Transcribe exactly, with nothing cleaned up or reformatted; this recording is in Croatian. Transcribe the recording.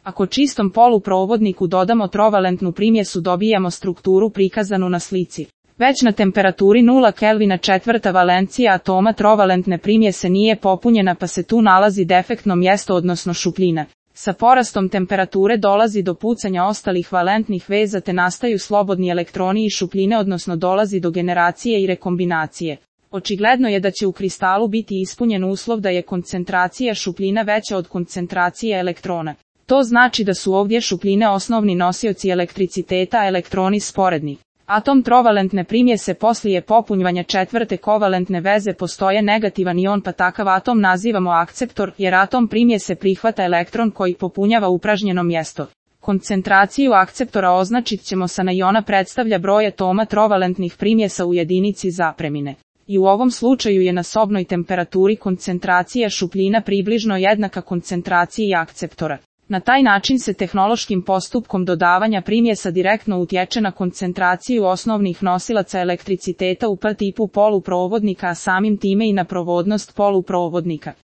Ako čistom poluprovodniku dodamo trovalentnu primjesu dobijamo strukturu prikazanu na slici. Već na temperaturi nula Kelvina četvrta valencija atoma trovalentne primjese nije popunjena pa se tu nalazi defektno mjesto odnosno šupljina. Sa porastom temperature dolazi do pucanja ostalih valentnih veza te nastaju slobodni elektroni i šupljine odnosno dolazi do generacije i rekombinacije. Očigledno je da će u kristalu biti ispunjen uslov da je koncentracija šupljina veća od koncentracije elektrona. To znači da su ovdje šupljine osnovni nosioci elektriciteta, a elektroni sporedni. Atom trovalentne primjese poslije popunjavanja četvrte kovalentne veze postoje negativan ion pa takav atom nazivamo akceptor jer atom primjese prihvata elektron koji popunjava upražnjeno mjesto. Koncentraciju akceptora označit ćemo sa na iona predstavlja broj atoma trovalentnih primjesa u jedinici zapremine. I u ovom slučaju je na sobnoj temperaturi koncentracija šupljina približno jednaka koncentraciji akceptora. Na taj način se tehnološkim postupkom dodavanja primjesa direktno utječe na koncentraciju osnovnih nosilaca elektriciteta u P tipu poluprovodnika, a samim time i na provodnost poluprovodnika.